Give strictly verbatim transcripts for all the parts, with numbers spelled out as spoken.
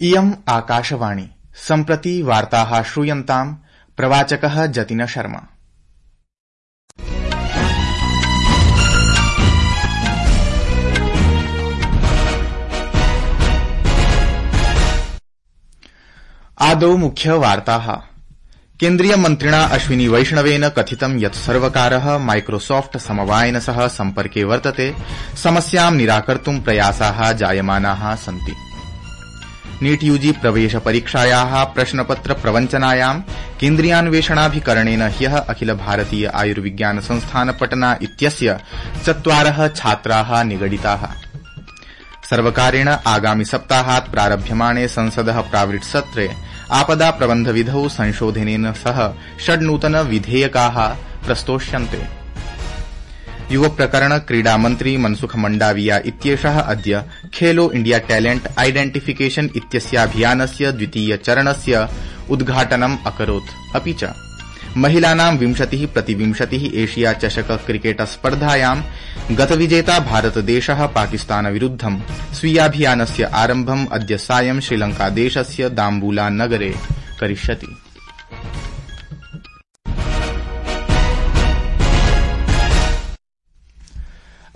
इयम् आकाशवाणी सम्प्रति वार्ताः श्रूयन्ताम् प्रवाचकः जतिन शर्मा। आदौ मुख्य वार्ताः। केन्द्रीय मन्त्रिणा अश्विनी वैष्णवेन कथितं यत् सर्वकारः माइक्रोसॉफ्ट समवायेन सह सम्पर्के वर्तते, समस्यां निराकर्तुं प्रयासाः जायमानाः सन्ति। नीट यूजी प्रवेश परीक्षायाः प्रश्नपत्र प्रवञ्चनायां केन्द्रीयान्वेषणाभिकरणेन ह्यः अखिल भारतीय आयुर्विज्ञान संस्थान पटना इत्यस्य चत्वारः छात्राः निगडिताः। सर्वकारेण आगामि सप्ताहात् प्रारभ्यमाणे संसदः प्रावृट् सत्रे आपदा प्रबन्धविधौ संशोधनेन सह षड् नूतन विधेयकाः प्रस्तोष्यन्ते। युव प्रकरण क्रीडा मन्त्री मनसुख मंडाविया इत्येषः अद्य खेलो इंडिया टैलेंट आइडेंटिफिकेशन इत्यस्याभियानस्य द्वितीय चरणस्य उद्घाटनम् अकरोत्। अपि च महिलानां विंशतिः प्रतिविंशतिः एशिया चषक क्रिकेट स्पर्धायां गतविजेता भारतदेशः पाकिस्तानविरुद्धं स्वीयाभियानस्य आरम्भम् अद्य सायं श्रीलंकादेशस्य दाम्बूला नगरे करिष्यति।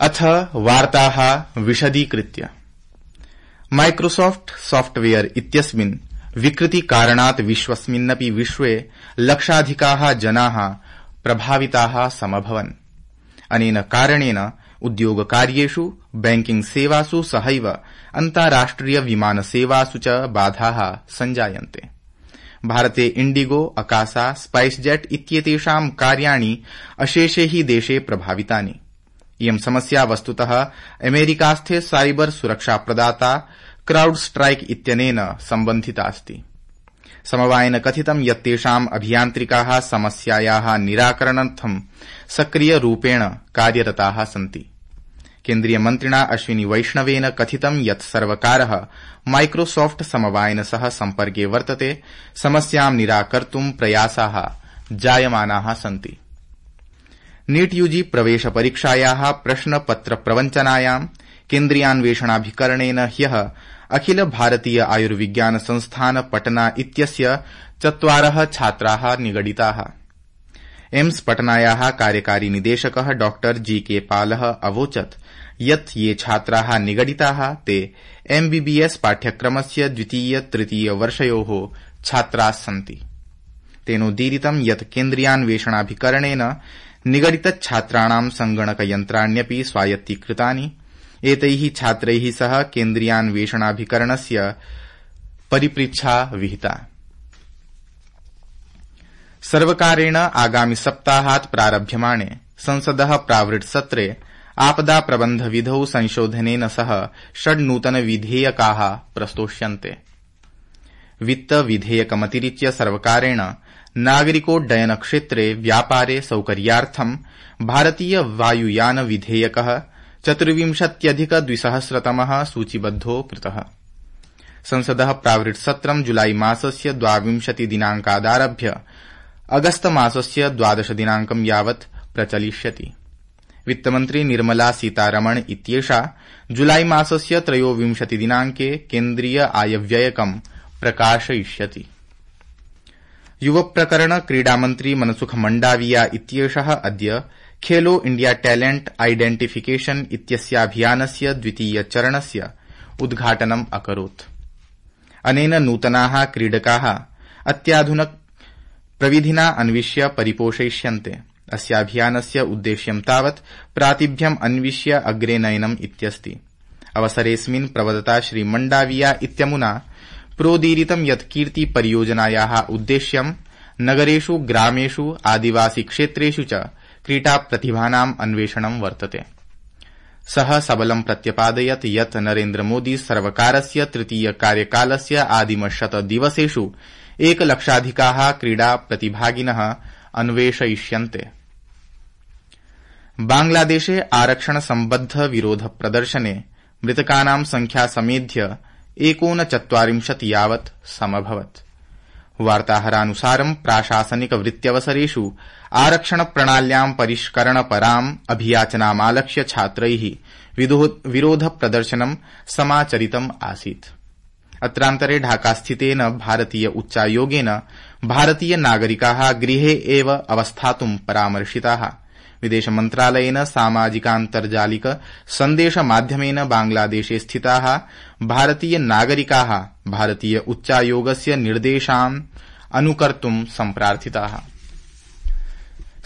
अथ वार्ताः विशदीकृत्य। माइक्रोसॉफ्ट सॉफ्टवेयर इत्यस्मिन् विकृतिकारणात् विश्वस्मिन्नपि विश्वे लक्षाधिकाः जनाः प्रभाविताः समभवन्। अनेन कारणेन उद्योगकार्येषु, बैंकिंग सेवासु सहैव अन्ताराष्ट्रिय विमानसेवासु च बाधाः सञ्जायन्ते। भारते इंडिगो, अकासा, स्पाइसजेट इत्येतेषां कार्याणि अशेषे हि देशे प्रभावितानि। इयं समस्या वस्तुतः अमेरिकास्थे साइबर सुरक्षा प्रदाता क्राउड स्ट्राइक इत्यनेन सम्बन्धितास्ति। समवायेन कथितं यत् तेषाम् अभियान्त्रिकाः समस्यायाः निराकरणार्थं सक्रियरूपेण कार्यरताः सन्ति। केन्द्रीयमन्त्रिणा अश्विनी वैष्णवेन कथितं यत् सर्वकारः माइक्रोसॉफ्ट समवायेन सह सम्पर्के वर्तते, समस्यां निराकर्तुं प्रयासाः जायमानाः सन्ति। नीट यूजी प्रवेश परीक्षायाः प्रश्नपत्र प्रवञ्चनायां केन्द्रीयान्वेषणाभिकरणेन ह्यः अखिल भारतीय आयुर्विज्ञान संस्थान पटना इत्यस्य चत्वारः छात्राः निगडिताः। एम्स पटनायाः कार्यकारी निदेशकः डॉ जी के पालः अवोचत् यत् ये छात्राः निगडिताः ते एमबीबीएस पाठ्यक्रमस्य द्वितीय तृतीय वर्षयोः छात्राः सन्ति। तेनोदीरितं यत् केन्द्रीयान्वेषणाभिकरणेन निगडितछात्राणां संगणकयन्त्राण्यपि स्वायत्तीकृतानि। एतैः छात्रैः सह केन्द्रीयान्वेषणाभिकरणस्य परिपृच्छा विहिता। सर्वकारेण आगामि सप्ताहात् प्रारभ्यमाणे संसदः प्रावृट् सत्रे आपदा प्रबन्धविधौ संशोधनेन सह षड् नूतन विधेयकाः प्रस्तोष्यन्ते। वित्त विधेयकमतिरिच्य सर्वकारेण नागरिकोड्डयन क्षेत्रे व्यापारे सौकर्यार्थं भारतीय वायुयान विधेयकः चतुर्विंशत्यधिक द्विसहस्रतमः सूचीबद्धो कृतः। संसदः प्रावृट् सत्रं जुलाई मासस्य द्वाविंशति दिनांकादारभ्य अगस्त मासस्य द्वादश दिनांकं यावत् प्रचलिष्यति। वित्तमन्त्री निर्मला सीतारमण इत्येषा जुलाई मासस्य त्रयोविंशति दिनांके केन्द्रीय आयव्ययकं प्रकाशयिष्यति। युव प्रकरण क्रीडामन्त्री मनसुख मंडाविया इत्येषः अद्य खेलो इंडिया टैलेंट आइडेंटिफिकेशन इत्यस्याभियानस्य द्वितीय चरणस्य उद्घाटनम् अकरोत्। अनेन नूतनाः क्रीडकाः अत्याधुनिक प्रविधिना अन्विष्य परिपोषयिष्यन्ते। अस्याभियानस्य उद्देश्यं तावत् प्रातिभ्यम् अन्विष्य अग्रे नयनम् इत्यस्ति। अवसरेऽस्मिन् प्रवदता श्री मंडाविया इत्यमुना प्रोदीरितं यत् कीर्ति परियोजनायाः उद्देश्यं नगरेषु, ग्रामेषु, आदिवासी क्षेत्रेषु च क्रीडा प्रतिभानाम् अन्वेषणं वर्तते। सः सबलं प्रत्यपादयत् यत् नरेन्द्रमोदी सर्वकारस्य तृतीय कार्यकालस्य आदिमशत दिवसेषु एकलक्षाधिकाः क्रीडा प्रतिभागिनः अन्वेषयिष्यन्ते। बांग्लादेशे आरक्षण सम्बद्ध विरोध प्रदर्शने मृतकानां संख्या समेध्य एकोनचत्वारिंशत् यावत् समभवत्। वार्ताहरानुसारं प्राशासनिक वृत्त्यवसरेषु आरक्षण प्रणाल्यां परिष्करणपराम् अभियाचनामालक्ष्य छात्रैः विरोध प्रदर्शनं समाचरितम् आसीत्। अत्रान्तरे ढाकास्थितेन भारतीय उच्चायोगेन भारतीय नागरिकाः गृहे एव अवस्थातुं परामर्शिताः। विदेश मन्त्रालयेन सामाजिकान्तर्जालिक सन्देश माध्यमेन बांग्लादेशे स्थिताः भारतीय नागरिकाः भारतीय उच्चायोगस्य निर्देशान् अनुकर्तुं सम्प्रार्थिताः।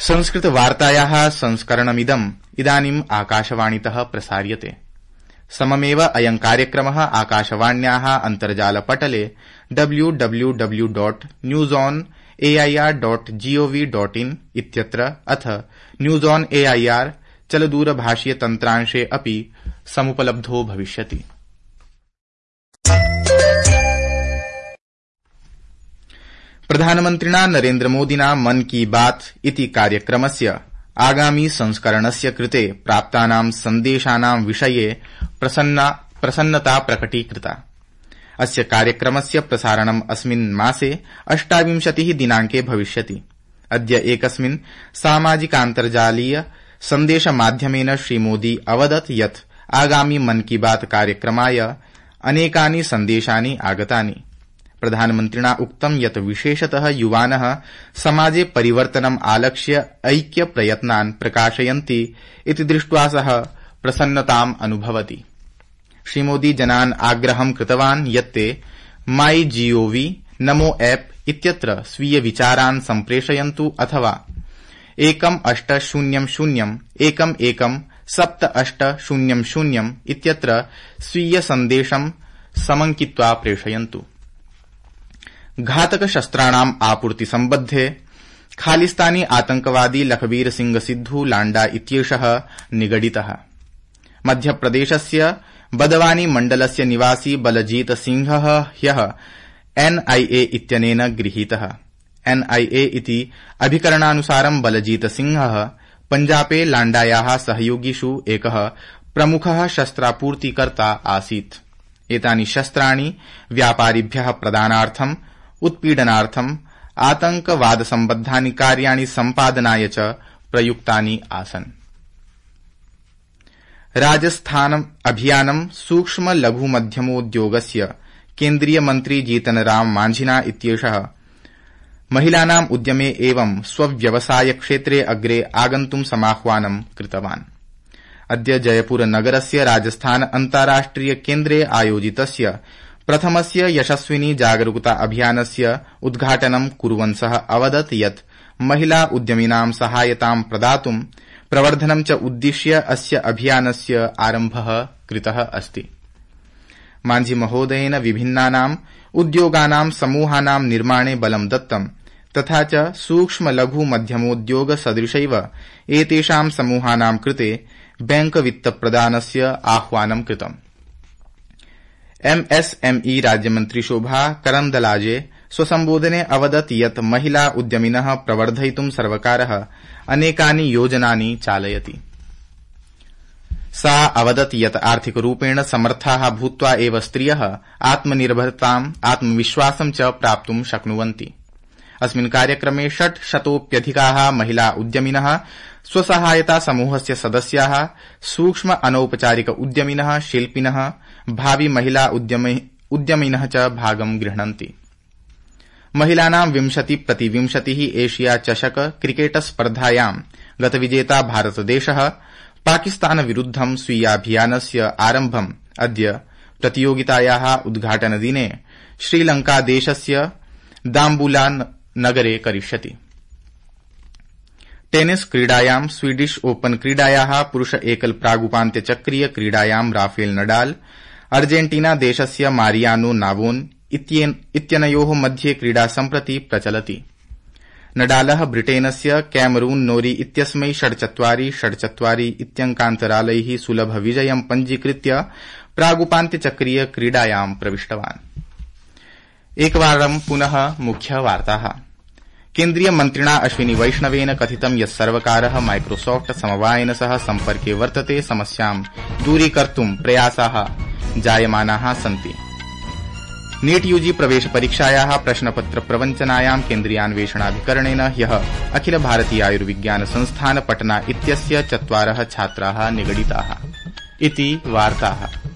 संस्कृत वार्तायाः संस्करणमिदम् इदानीम् आकाशवाणीतः प्रसार्यते। सममेव अयं कार्यक्रमः आकाशवाण्याः अन्तर्जालपटले W W W dot news on AIR dot gov dot in इत्यत्र अथ न्यूज ऑन एआईआर चलदूरभाषीय तन्त्रांशे अपि समुपलब्धो भविष्यति। प्रधानमन्त्रिणा नरेन्द्रमोदिना मन की बात इति कार्यक्रमस्य आगामी संस्करणस्य कृते प्राप्तानां सन्देशानां विषये प्रसन्नता प्रकटीकृता। अस्य कार्यक्रमस्य प्रसारणम् अस्मिन् मासे अष्टाविंशतिः दिनाङ्के भविष्यति। अद्य एकस्मिन् सामाजिकान्तर्जालीय सन्देशमाध्यमेन श्रीमोदी अवदत् यत् आगामी मन की बात कार्यक्रमाय अनेकानि सन्देशानि आगतानि। प्रधानमन्त्रिणा उक्तं यत् विशेषतः युवानः समाजे परिवर्तनम् आलक्ष्य ऐक्य प्रयत्नान् प्रकाशयन्ति इति दृष्ट्वा सः प्रसन्नताम् अनुभवति। श्रीमोदी जनान् आग्रहं कृतवान् यत् ते माई जीओवी नमो ऐप इत्यत्र स्वीय विचारान् सम्प्रेषयन्तु अथवा एकम् अष्ट शून्यं शून्यम् एकम् एकम् सप्त अष्ट शून्यं शून्यम् इत्यत्र स्वीय सन्देशं समङ्कित्वा प्रेषयन्तु। घातक शस्त्राणाम् आपूर्ति सम्बद्धे खालिस्तानी आतंकवादी लखबीर सिंह सिद्धू लांडा इत्येषः निगडितः। मध्यप्रदेशस्य बदवानी मण्डलस्य निवासी बलजीत सिंहः ह्यः एनआईए इत्यनेन गृहीतः। एनआईए इति अभिकरणानुसारं बलजीत सिंहः पञ्जाबे लाण्डायाः सहयोगिषु एकः प्रमुखः शस्त्रापूर्तिकर्ता आसीत्। एतानि शस्त्राणि व्यापारिभ्यः प्रदानार्थम् उत्पीडनार्थम् आतंकवादसम्बद्धानि कार्याणि सम्पादनाय च प्रयुक्तानि आसन्। राजस्थान अभियानं सूक्ष्म लघु मध्यमोद्योगस्य केन्द्रीय मन्त्री जीतनराम मांझिना इत्येषः महिलानाम् उद्यमे एवं स्वव्यवसाय क्षेत्रे अग्रे आगन्तुं समाह्वानं कृतवान्। अद्य जयपुर नगरस्य राजस्थान अन्ताराष्ट्रिय केन्द्रे आयोजितस्य प्रथमस्य यशस्विनी जागरूकता अभियानस्य उद्घाटनं कुर्वन् सः अवदत् यत् महिला उद्यमिनां सहायतां प्रदातुं प्रवर्धनं च उद्दिश्य अस्य अभियानस्य आरम्भः कृतः अस्ति। मांझी महोदयेन विभिन्नानाम् उद्योगानां समूहानां निर्माणे बलं दत्तं तथा च सूक्ष्म लघु मध्यमोद्योग सदृशैव एतेषां समूहानां कृते बैंक वित्तप्रदानस्य आह्वानं कृतम्। एमएसएमई राज्यमन्त्री शोभा करन्दलाजे स्वसम्बोधने अवदत् यत् महिला उद्यमिनः प्रवर्धयितुं सर्वकारः अनेकानि योजनानि चालयति। सा अवदत् यत् आर्थिकरूपेण समर्थाः भूत्वा एव स्त्रियः आत्मनिर्भरताम् आत्मविश्वासं च प्राप्तुं शक्नुवन्ति। अस्मिन् कार्यक्रमे षट् शतोप्यधिकाः महिला उद्यमिनः स्वसहायता समूहस्य सदस्याः सूक्ष्म अनौपचारिक उद्यमिनः शिल्पिनः भावि महिला उद्यमिनः च भागं गृह्णन्ति। महिलानां विंशति प्रति विंशतिः एशिया चषक क्रिकेट स्पर्धायां गतविजेता भारतदेशः पाकिस्तान विरुद्धं स्वीयाभियानस्य आरम्भम् अद्य प्रतियोगितायाः उद्घाटनदिने श्रीलंकादेशस्य दाम्बुला नगरे करिष्यति। टेनिस क्रीडायां स्वीडिश ओपन क्रीडायाः पुरुष एकल प्रागुपान्त्यचक्रीय क्रीडायां राफेल नडाल अर्जेन्टीना देशस्य मारियानो नावोन इत्यनयोः मध्ये क्रीडा सम्प्रति प्रचलति। नडालः ब्रिटेनस्य कैमरून नोरी इत्यस्मै षड् चत्वारि षड् चत्वारि इत्यङ्कान्तरालैः सुलभ विजयं पञ्जीकृत्य प्रागुपान्त्यचक्रीय क्रीडायां प्रविष्टवान्। एकवारं पुनः मुख्यवार्ताः। केन्द्रीय मन्त्रिणा अश्विनी वैष्णवेन कथितं यत् सर्वकारः माइक्रोसॉफ्ट समवायेन सह सम्पर्के वर्तते, समस्यां दूरीकर्तुं प्रयासाः जायमानाः सन्ति। नीट यूजी प्रवेश परीक्षायाः प्रश्नपत्र प्रवञ्चनायां केन्द्रीयान्वेषणाभिकरणेन ह्यः अखिल भारतीय आयुर्विज्ञान संस्थान पटना इत्यस्य चत्वारः छात्राः निगडिताः। इति वार्ताः।